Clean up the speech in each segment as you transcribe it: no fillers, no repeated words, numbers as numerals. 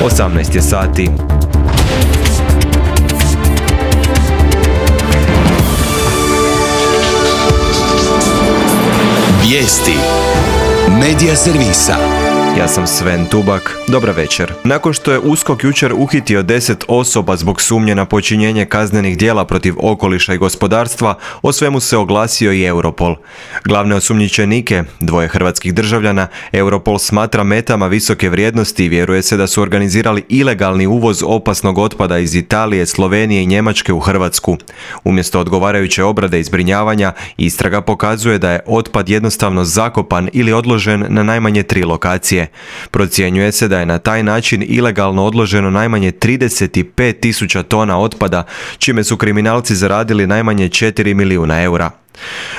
18 je sati. Vijesti Medija servisa. Ja sam Sven Tubak. Dobra večer. Nakon što je USKOK jučer uhitio 10 osoba zbog sumnje na počinjenje kaznenih djela protiv okoliša i gospodarstva, o svemu se oglasio i Europol. Glavne osumnjičenike, dvoje hrvatskih državljana, Europol smatra metama visoke vrijednosti i vjeruje se da su organizirali ilegalni uvoz opasnog otpada iz Italije, Slovenije i Njemačke u Hrvatsku. Umjesto odgovarajuće obrade i zbrinjavanja, istraga pokazuje da je otpad jednostavno zakopan ili odložen na najmanje 3 lokacije. Procjenjuje se da je na taj način ilegalno odloženo najmanje 35.000 tona otpada, čime su kriminalci zaradili najmanje 4 milijuna eura.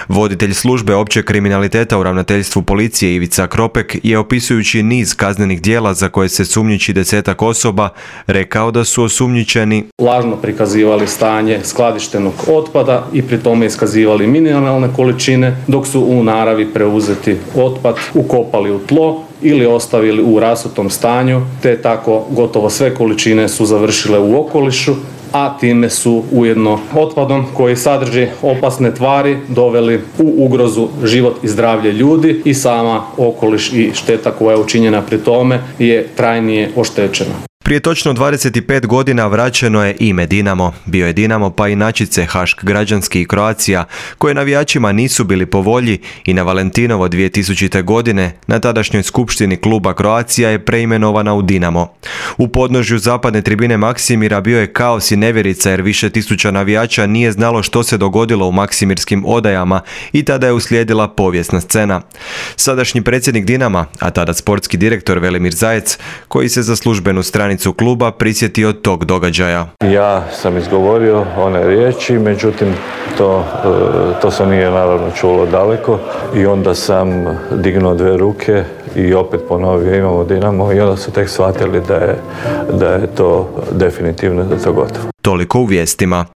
Voditelj službe općeg kriminaliteta u ravnateljstvu policije Ivica Kropek je, opisujući niz kaznenih djela za koje se sumnjiči 10 osoba, rekao da su osumnjičeni lažno prikazivali stanje skladištenog otpada i pri tome iskazivali minimalne količine, dok su u naravi preuzeti otpad ukopali u tlo ili ostavili u rasutom stanju, te tako gotovo sve količine su završile u okolišu, a time su ujedno otpadom koji sadrži opasne tvari doveli u ugrozu život i zdravlje ljudi i sama okoliš i šteta koja je učinjena pri tome je trajnije oštećena. Prije točno 25 godina vraćeno je ime Dinamo. Bio je Dinamo pa inačice Hašk Građanski i Croatia, koje navijačima nisu bili po volji, i na Valentinovo 2000. godine na tadašnjoj skupštini kluba Croatia je preimenovana u Dinamo. U podnožju zapadne tribine Maksimira bio je kaos i nevjerica jer više tisuća navijača nije znalo što se dogodilo u Maksimirskim odajama i tada je uslijedila povijesna scena. Sadašnji predsjednik Dinama, a tada sportski direktor Velimir Zajec, koji se za službenu stranicu kluba prisjetio tog događaja. Ja sam izgovorio one riječi, međutim to se nije naravno čulo daleko i onda sam dignuo 2 ruke i opet ponovio imamo Dinamo i onda su tek shvatili da je to definitivno, da je to gotovo. Toliko u vijestima.